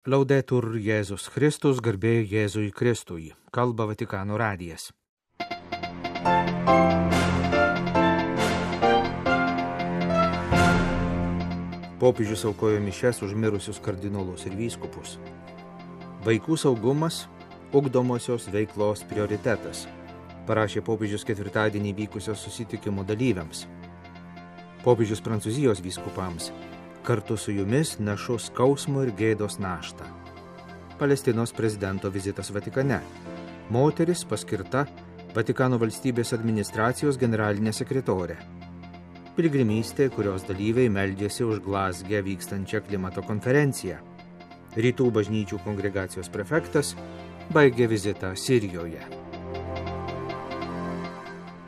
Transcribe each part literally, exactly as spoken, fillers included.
Laudetur Jėzus Kristus, garbė Jėzui Kristui, kalba Vatikano radijas. Popiežius aukojo mišias už mirusius kardinolus ir vyskupus. Vaikų saugumas – ugdomosios veiklos prioritetas, parašė popiežius ketvirtadienį vykusio susitikimo dalyviams. Popiežius Prancūzijos vyskupams: kartu su jumis nešu skausmo ir gėdos naštą. Palestinos prezidento vizitas Vatikane. Moteris paskirta Vatikano valstybės administracijos generalinė sekretorė. Piligrimystė, kurios dalyviai meldėsi už Glazge vykstančią klimato konferenciją. Rytų bažnyčių kongregacijos prefektas baigė vizitą Sirijoje.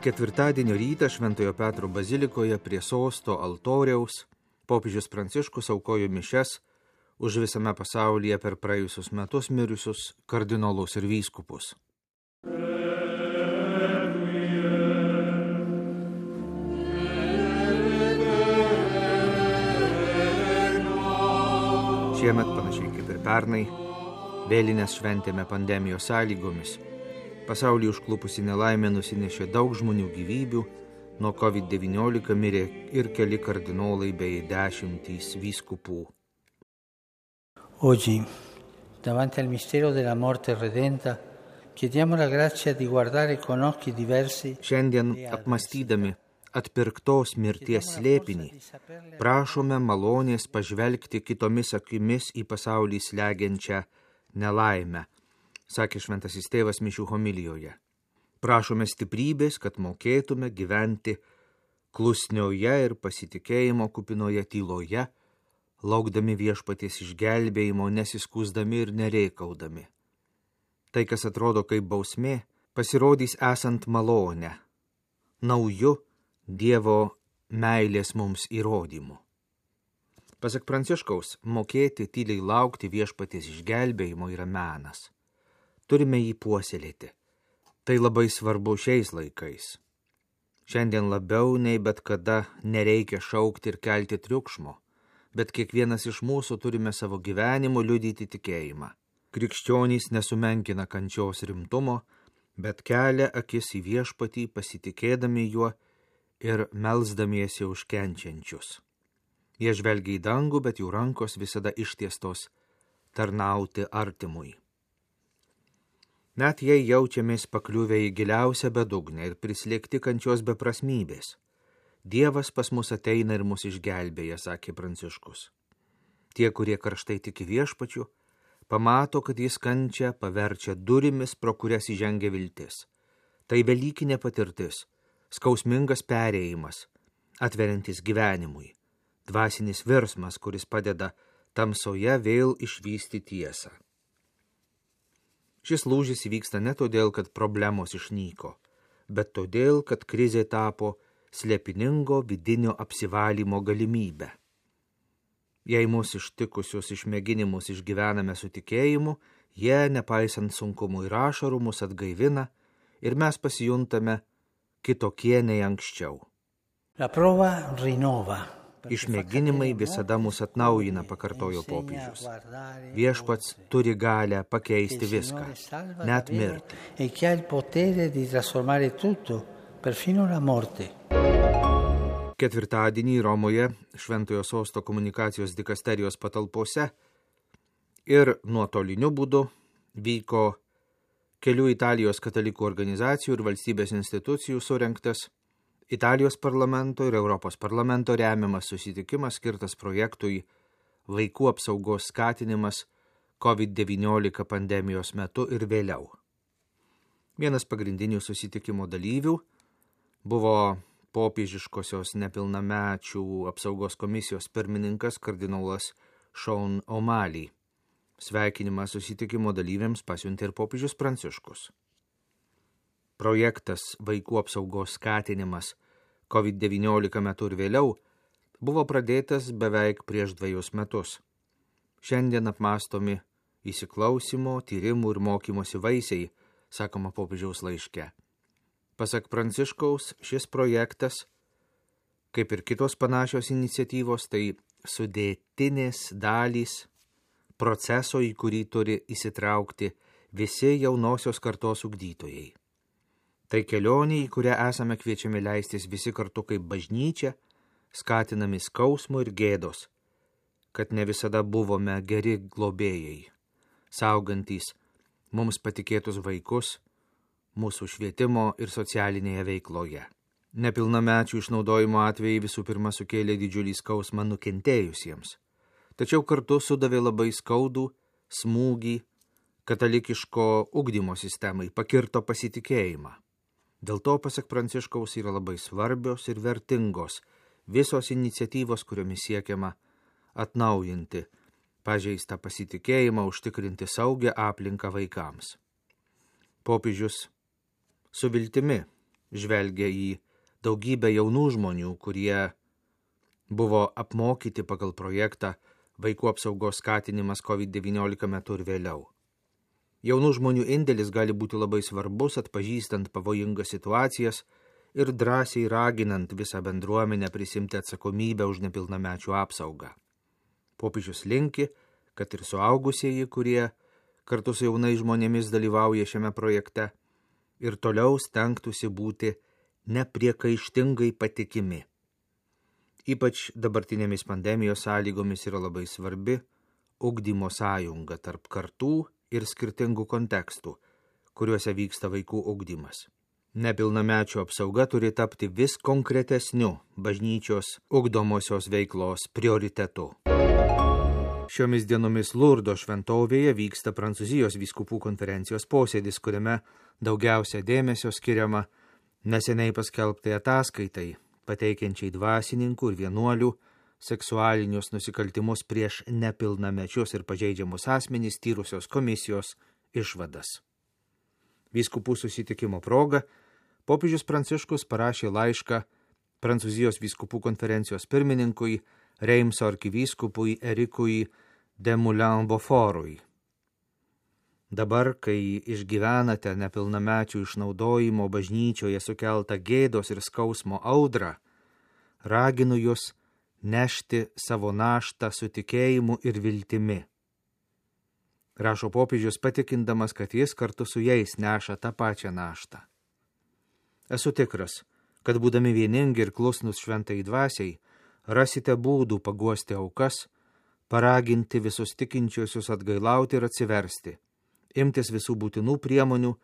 Ketvirtadienio rytą Šventojo Petro bazilikoje prie sosto altoriaus popiežius Pranciškus aukojo mišias už visame pasaulyje per praėjusius metus mirusius kardinolus ir vyskupus. Šiemet, panašiai kaip ir pernai, vėlinės šventėme pandemijos sąlygomis. Pasaulį užklupusi nelaimė nusinešė daug žmonių gyvybių, nuo covid devyniolika mirė ir keli kardinolai bei dešimtys vyskupų. Oggi, davanti al mistero della morte redenta, chiediamo la grazia di guardare con occhi diversi. Šiandien apmastydami atpirktos mirties slėpinį, prašome malonės pažvelgti kitomis akimis į pasaulį slegiančią nelaimę, sakė šventasis tėvas mišių homilijoje. Prašome stiprybės, kad mokėtume gyventi klusnioje ir pasitikėjimo kupinoje tyloje, laukdami viešpaties išgelbėjimo, nesiskųsdami ir nereikaudami. Tai, kas atrodo kaip bausmė, pasirodys esant malonę, nauju Dievo meilės mums įrodymu. Pasak Pranciškaus, mokėti tyliai laukti viešpaties išgelbėjimo yra menas. Turime jį puoselėti. Tai labai svarbu šiais laikais. Šiandien labiau nei bet kada nereikia šaukti ir kelti triukšmo, bet kiekvienas iš mūsų turime savo gyvenimu liudyti tikėjimą. Krikščionys nesumenkina kančios rimtumo, bet kelia akis į viešpatį, pasitikėdami juo ir melsdamiesi už kenčiančius. Jie žvelgia į dangų, bet jų rankos visada ištiestos tarnauti artimui. Net jei jaučiamės pakliuvę į giliausią bedugnę ir prislėgti kančios beprasmybės, Dievas pas mus ateina ir mus išgelbėja, sakė Pranciškus. Tie, kurie karštai tiki viešpačiu, pamato, kad jis kančią paverčia durimis, pro kurias įžengia viltis. Tai velykinė patirtis, skausmingas perėjimas, atveriantis gyvenimui, dvasinis virsmas, kuris padeda tamsoje vėl išvysti tiesą. Šis lūžis įvyksta ne todėl, kad problemos išnyko, bet todėl, kad krizė tapo slėpiningo vidinio apsivalymo galimybę. Jei mūsų ištikusius išmėginimus išgyvename su tikėjimu, jie, nepaisant sunkumų ir ašarų, mus atgaivina ir mes pasijuntame kitokie nei anksčiau. La prova rinnova. Išmėginimai visada mus atnaujina, pakartojo popiežius. Viešpats turi galią pakeisti viską, net mirtį. E che ha il potere di trasformare tutto, perfino la morte. Ketvirtadienį Romoje Šventojo sosto komunikacijos dikasterijos patalpose ir nuotoliniu būdu vyko kelių Italijos katalikų organizacijų ir valstybės institucijų surengtas Italijos parlamento ir Europos parlamento remiamas susitikimas skirtas projektui Vaikų apsaugos skatinimas covid devyniolika pandemijos metu ir vėliau. Vienas pagrindinių susitikimo dalyvių buvo popiežiškosios nepilnamečių apsaugos komisijos pirmininkas kardinolas Sean O'Malley. Sveikinimą susitikimo dalyviams pasiuntė ir popiežius Pranciškus. Projektas Vaikų apsaugos skatinimas covid devyniolika metu ir vėliau buvo pradėtas beveik prieš dvejus metus. Šiandien apmąstomi įsiklausimo, tyrimų ir mokymosi vaisiai, sakoma popiežiaus laiške. Pasak Pranciškaus, šis projektas, kaip ir kitos panašios iniciatyvos, tai sudėtinės dalys proceso, į kurį turi įsitraukti visi jaunosios kartos ugdytojai. Tai kelionė, į kurią esame kviečiami leistis visi kartu kaip bažnyčia, skatinami skausmo ir gėdos, kad ne visada buvome geri globėjai, saugantys mums patikėtus vaikus mūsų švietimo ir socialinėje veikloje. Nepilnamečių išnaudojimo atvejai visų pirma sukėlė didžiulį skausmą nukentėjusiems, tačiau kartu sudavė labai skaudų smūgį katalikiško ugdymo sistemai, pakirto pasitikėjimą. Dėl to, pasak Pranciškaus, yra labai svarbios ir vertingos visos iniciatyvos, kuriomis siekiama atnaujinti pažeistą pasitikėjimą, užtikrinti saugią aplinką vaikams. Popiežius su viltimi žvelgia į daugybę jaunų žmonių, kurie buvo apmokyti pagal projektą Vaikų apsaugos skatinimas kovid devyniolika metu ir vėliau. Jaunų žmonių indėlis gali būti labai svarbus, atpažįstant pavojingas situacijas ir drąsiai raginant visą bendruomenę prisimti atsakomybę už nepilnamečių apsaugą. Popiežius linki, kad ir suaugusieji, kurie kartu su jaunais žmonėmis dalyvauja šiame projekte, ir toliau stengtųsi būti nepriekaištingai patikimi. Ypač dabartinėmis pandemijos sąlygomis yra labai svarbi ugdymo sąjunga tarp kartų ir skirtingų kontekstų, kuriuose vyksta vaikų ugdymas. Nepilnamečių apsauga turi tapti vis konkretesniu bažnyčios ugdomosios veiklos prioritetu. Šiomis dienomis Lurdo šventovėje vyksta Prancūzijos vyskupų konferencijos posėdis, kuriame daugiausia dėmesio skiriama neseniai paskelbtai ataskaitai, pateikiančiai dvasininkų ir vienuolių seksualinius nusikaltimus prieš nepilnamečius ir pažeidžiamus asmenys tyrusios komisijos išvadas. Vyskupų susitikimo proga popiežius Pranciškus parašė laišką Prancūzijos vyskupų konferencijos pirmininkui Reimso arkivyskupui Erikui de Moulin-Beaufortui. Dabar, kai išgyvenate nepilnamečių išnaudojimo bažnyčioje sukeltą gėdos ir skausmo audrą, raginu jūs nešti savo naštą su tikėjimu ir viltimi. Rašo popiežius, patikindamas, kad jis kartu su jais neša tą pačią naštą. Esu tikras, kad būdami vieningi ir klusnus šventai dvasiai, rasite būdų paguosti aukas, paraginti visus tikinčiuosius atgailauti ir atsiversti, imtis visų būtinų priemonių,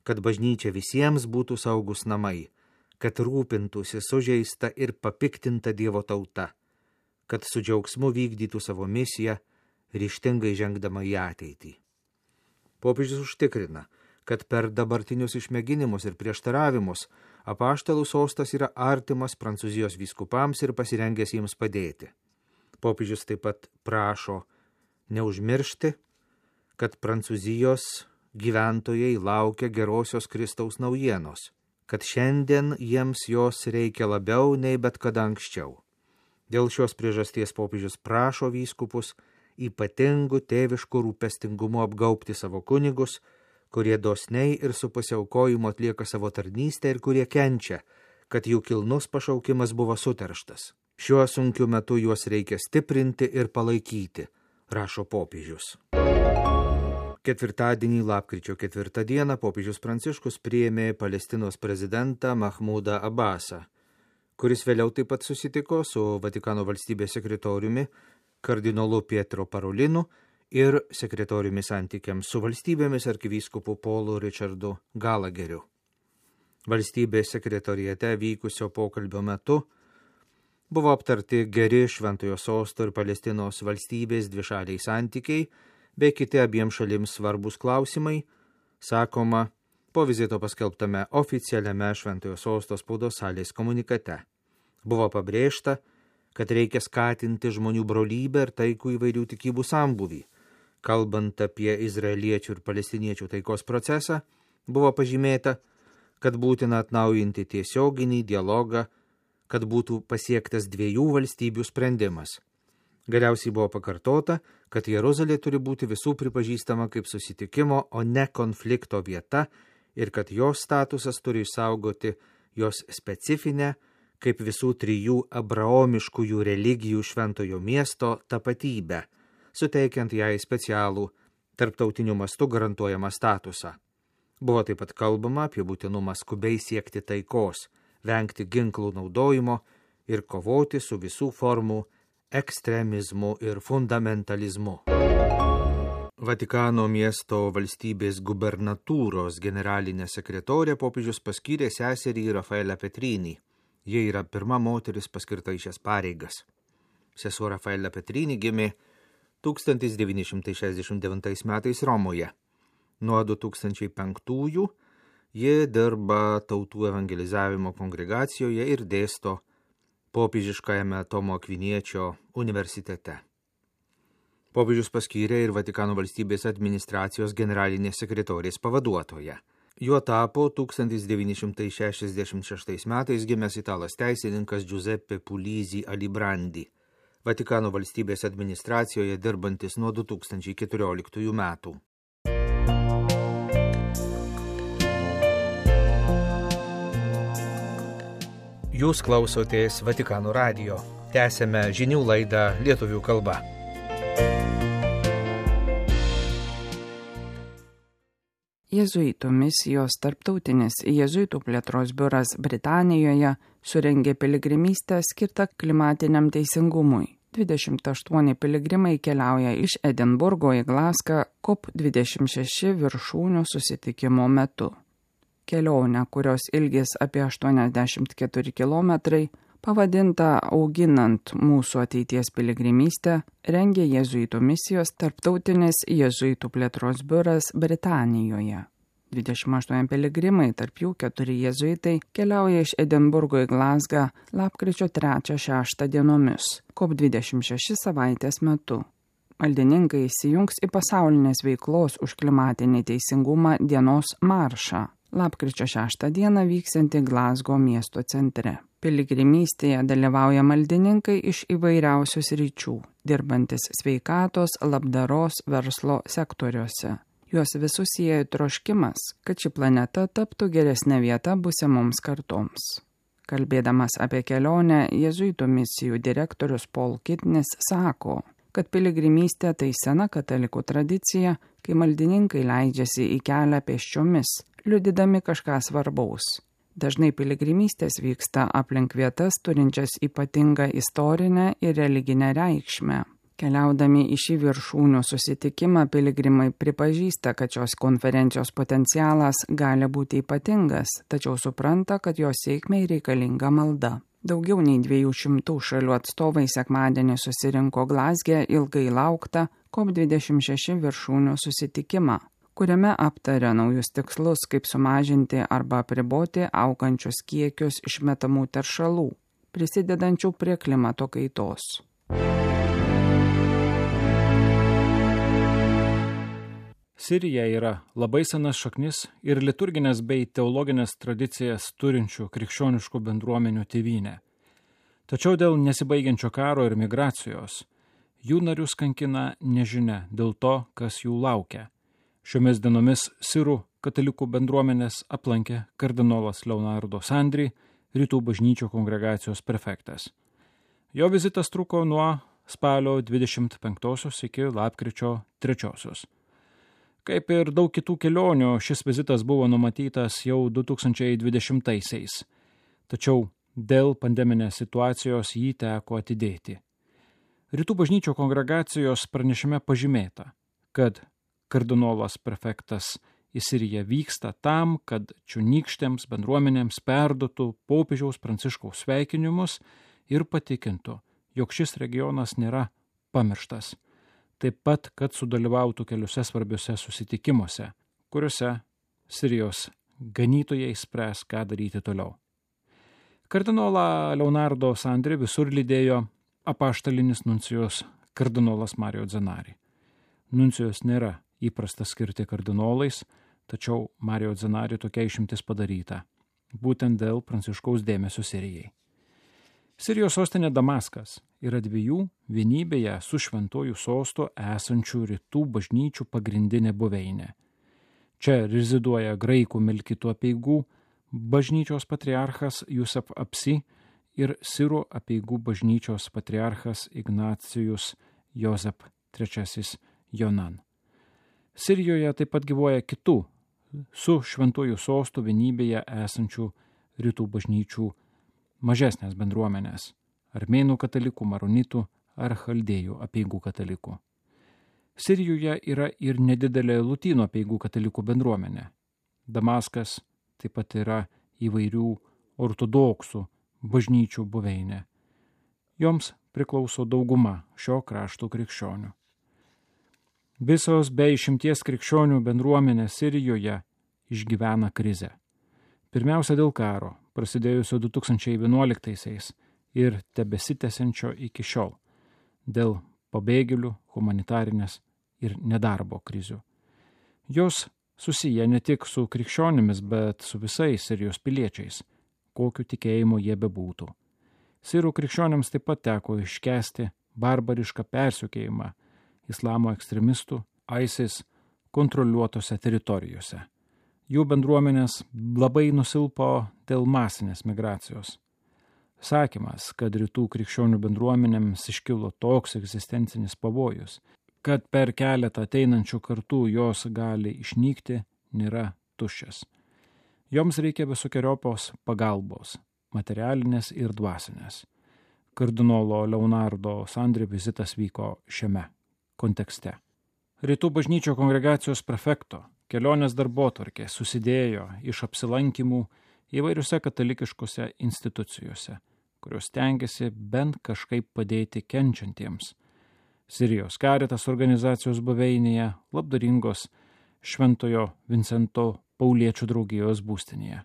kad bažnyčia visiems būtų saugus namai, kad rūpintųsi sužeista ir papiktinta Dievo tauta, kad su džiaugsmu vykdytų savo misiją, ryžtingai žengdama į ateitį. Popiežius užtikrina, kad per dabartinius išmėginimus ir prieštaravimus apaštalų sostas yra artimas Prancūzijos vyskupams ir pasirengęs jiems padėti. Popiežius taip pat prašo neužmiršti, kad Prancūzijos gyventojai laukia gerosios Kristaus naujienos, kad šiandien jiems jos reikia labiau nei bet kada anksčiau. Dėl šios priežasties popiežius prašo vyskupus ypatingų tėviškų rūpestingumu apgaubti savo kunigus, kurie dosniai ir su pasiaukojimu atlieka savo tarnystę ir kurie kenčia, kad jų kilnus pašaukimas buvo suterštas. Šiuo sunkiu metu juos reikia stiprinti ir palaikyti, rašo popiežius. Ketvirtadienį, lapkričio ketvirtą dieną, popiežius Pranciškus priėmė Palestinos prezidentą Mahmudą Abbasą, kuris vėliau taip pat susitiko su Vatikano valstybės sekretoriumi kardinolu Pietro Parolinu ir sekretoriumi santykiams su valstybėmis arkivyskupu Paulu Richardu Galageriu. Valstybės sekretoriate vykusio pokalbio metu buvo aptarti geri Šventojo sosto ir Palestinos valstybės dvišaliai santykiai bei kiti abiem šalims svarbus klausimai, sakoma po vizito paskelbtame oficialiame Šventojo sosto spaudos salės komunikate. Buvo pabrėžta, kad reikia skatinti žmonių brolybę ir taikų įvairių tikybų sambūvį. Kalbant apie izraeliečių ir palestiniečių taikos procesą, buvo pažymėta, kad būtina atnaujinti tiesioginį dialogą, kad būtų pasiektas dviejų valstybių sprendimas. Galiausiai buvo pakartota, kad Jeruzalė turi būti visų pripažįstama kaip susitikimo, o ne konflikto vieta ir kad jos statusas turi išsaugoti jos specifinę, kaip visų trijų abraomiškųjų religijų šventojo miesto tapatybę, suteikiant jai specialų tarptautiniu mastu garantuojamą statusą. Buvo taip pat kalbama apie būtinumą skubiai siekti taikos, vengti ginklų naudojimo ir kovoti su visų formų ekstremizmu ir fundamentalizmu. Vatikano miesto valstybės gubernatūros generalinė sekretorė popiežius paskyrė seserį Rafaelę Petrinį. Jie yra pirma moteris paskirta į šias pareigas. Sesuo Rafaelė Petrinį gimė tūkstantis devyni šimtai šešiasdešimt devintais metais Romoje. Nuo du tūkstančiai penktųjų ji dirba tautų evangelizavimo kongregacijoje ir dėsto popiežiškajame Tomo Akviniečio universitete. Popiežius paskyrė ir Vatikano valstybės administracijos generalinės sekretorės pavaduotoją. Juo tapo tūkstantis devyni šimtai šešiasdešimt šeštais metais gimęs italas teisininkas Giuseppe Puglisi Alibrandi, Vatikano valstybės administracijoje dirbantis nuo du tūkstančiai keturioliktųjų metų. Jūs klausotės Vatikano radijo. Tęsėme žinių laidą lietuvių kalba. Jėzuitų misijos tarptautinis jėzuitų plėtros biuras Britanijoje surengė piligrimystę skirtą klimatiniam teisingumui. dvidešimt aštuoni piligrimai keliauja iš Edinburgo į Glasgą COP dvidešimt šeši viršūnių susitikimo metu. Kelionė, kurios ilgis apie aštuoniasdešimt keturi kilometrai, pavadinta Auginant mūsų ateities piligrimystę, rengė jėzuitų misijos tarptautinis jėzuitų plėtros biuras Britanijoje. dvidešimt aštuoni piligrimai, tarp jų keturi jėzuitai, keliauja iš Edinburgo į Glasgą lapkričio trečią šeštą dienomis, COP dvidešimt šeši savaitės metu. Maldininkai įsijungs į pasaulinės veiklos už klimatinį teisingumą dienos maršą, lapkričio šeštą dieną vyksianti Glasgow miesto centre. Piligrimystėje dalyvauja maldininkai iš įvairiausių sričių, dirbantis sveikatos, labdaros, verslo sektoriuose. Juos visus sieja troškimas, kad ši planeta taptų geresnė vieta būsimoms kartoms. Kalbėdamas apie kelionę, jėzuitų misijų direktorius Paul Kitnis sako, kad piligrimystė tai sena katalikų tradicija, kai maldininkai leidžiasi į kelią pėsčiomis, liudydami kažką svarbaus. Dažnai piligrimystės vyksta aplink vietas turinčias ypatingą istorinę ir religinę reikšmę. Keliaudami į šį viršūnių susitikimą, piligrimai pripažįsta, kad šios konferencijos potencialas gali būti ypatingas, tačiau supranta, kad jos sėkmei reikalinga malda. Daugiau nei dviejų šimtų šalių atstovai sekmadienį susirinko Glasge ilgai lauktą COP dvidešimt šeši viršūnių susitikimą, kuriame aptarė naujus tikslus, kaip sumažinti arba apriboti augančius kiekius išmetamų teršalų, prisidedančių prie klimato kaitos. Sirija yra labai senas šaknis ir liturginės bei teologinės tradicijas turinčių krikščioniškų bendruomenių tėvynė. Tačiau dėl nesibaigiančio karo ir migracijos jų narius kankina nežinia dėl to, kas jų laukia. Šiomis dienomis sirų katalikų bendruomenės aplankė kardinolas Leonardo Sandri, rytų bažnyčių kongregacijos prefektas. Jo vizitas truko nuo spalio dvidešimt penktosios iki lapkričio trečiosios. Kaip ir daug kitų kelionių, šis vizitas buvo numatytas jau du tūkstančiai dvidešimtaisiais, tačiau dėl pandeminės situacijos jį teko atidėti. Rytų bažnyčių kongregacijos pranešime pažymėta, kad kardinolas prefektas į Siriją vyksta tam, kad čionykštėms bendruomenėms perduotų popiežiaus Pranciškaus sveikinimus ir patikintų, jog šis regionas nėra pamirštas. Taip pat, kad sudalyvautų keliuose svarbiuose susitikimuose, kuriuose Sirijos ganytojai spręs, ką daryti toliau. Kardinolą Leonardo Sandri visur lydėjo apaštalinis nuncijus kardinolas Mario Zenari. Nuncijus nėra įprasta skirti kardinolais, tačiau Mario Zenari tokia išimtis padaryta, būtent dėl Pranciškaus dėmesio Sirijai. Sirijos sostinė Damaskas yra dviejų vienybėje su šventuoju sostu esančių rytų bažnyčių pagrindinė buveinė. Čia reziduoja graikų melkitų apeigų bažnyčios patriarchas Jusef Apsi ir sirų apeigų bažnyčios patriarchas Ignacijus Jozep trečiasis Jonan. Sirijoje taip pat gyvuoja kitų su šventųjų sostų vienybėje esančių rytų bažnyčių mažesnės bendruomenės – armėnų katalikų, maronitų ar chaldėjų apeigų katalikų. Sirijoje yra ir nedidelė lotynų apeigų katalikų bendruomenė. Damaskas taip pat yra įvairių ortodoksų bažnyčių buveinė. Joms priklauso dauguma šio krašto krikščionių. Visos be išimties krikščionių bendruomenės Sirijoje išgyvena krizę. Pirmiausia dėl karo, prasidėjusio du tūkstančiai vienuoliktaisiais ir tebesitęsiančio iki šiol, dėl pabėgėlių, humanitarinės ir nedarbo krizių. Jos susiję ne tik su krikščionimis, bet su visais Sirijos piliečiais, kokiu tikėjimu jie bebūtų. Sirų krikščionims taip pat teko iškęsti barbarišką persekiojimą islamo ekstremistų ISIS kontroliuotose teritorijose. Jų bendruomenės labai nusilpo dėl masinės migracijos. Sakymas, kad rytų krikščionių bendruomenėms iškilo toks egzistencinis pavojus, kad per keletą ateinančių kartų jos gali išnykti, nėra tuščias. Joms reikia visokiojopos pagalbos, materialinės ir dvasinės. Kardinolo Leonardo Sandri vizitas vyko šiame kontekste. Rytų bažnyčio kongregacijos prefekto kelionės darbotvarkė susidėjo iš apsilankymų įvairiuose katalikiškose institucijose, kurios stengiasi bent kažkaip padėti kenčiantiems. Sirijos Caritas organizacijos buveinėje, labdaringos Šventojo Vincento Pauliečių draugijos būstinėje.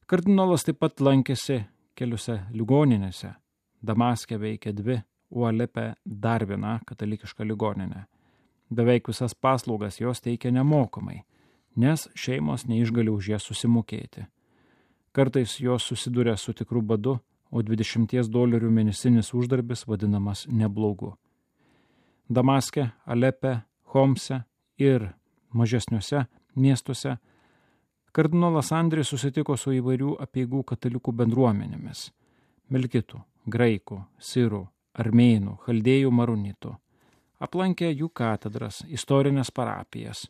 Kardinolas taip pat lankėsi keliose ligoninėse. Damaske veikia dvi, o Alepe dar viena katalikiška ligoninė. Beveik visas paslaugas jos teikia nemokamai, nes šeimos neišgali už jas susimokėti. Kartais jos susiduria su tikru badu, o dvidešimties dolerių mėnesinis uždarbis vadinamas neblogu. Damaske, Alepe, Homse ir mažesniuose miestuose kardinolas Andris susitiko su įvairių apeigų katalikų bendruomenėmis – melkitų, graikų, sirų, armėnų, chaldėjų, maronitų. Aplankė jų katedras, istorinės parapijas.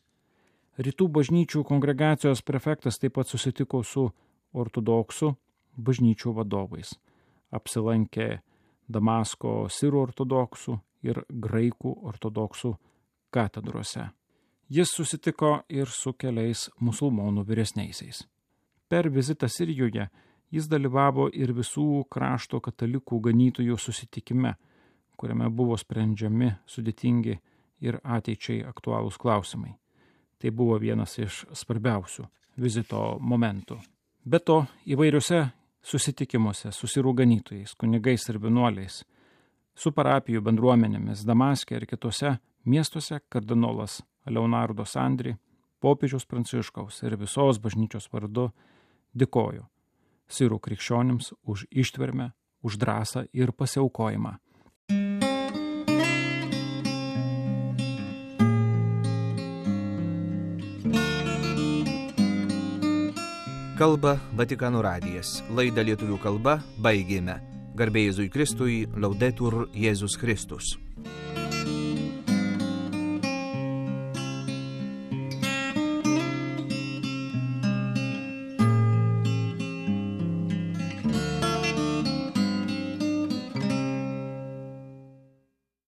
Rytų bažnyčių kongregacijos prefektas taip pat susitiko su ortodoksų bažnyčių vadovais. Apsilankė Damasko sirų ortodoksų ir graikų ortodoksų katedrose. Jis susitiko ir su keliais musulmonų vyresniaisiais. Per vizitą Sirijoje jis dalyvavo ir visų krašto katalikų ganytojų susitikime, kuriame buvo sprendžiami sudėtingi ir ateičiai aktualūs klausimai. Tai buvo vienas iš svarbiausių vizito momentų. Be to, įvairiuose susitikimuose su sirų ganytojais, kunigais ir vienuoliais, su parapijų bendruomenėmis Damaske ir kitose miestuose kardinolas Leonardo Sandri, popiežiaus Pranciškaus ir visos bažnyčios vardu dėkojo sirų krikščionims už ištvermę, už drąsą ir pasiaukojimą. Kalba Vatikano radijas. Laidą lietuvių kalba baigėme. Garbė Jėzui Kristui, Laudetur Jėzus Kristus.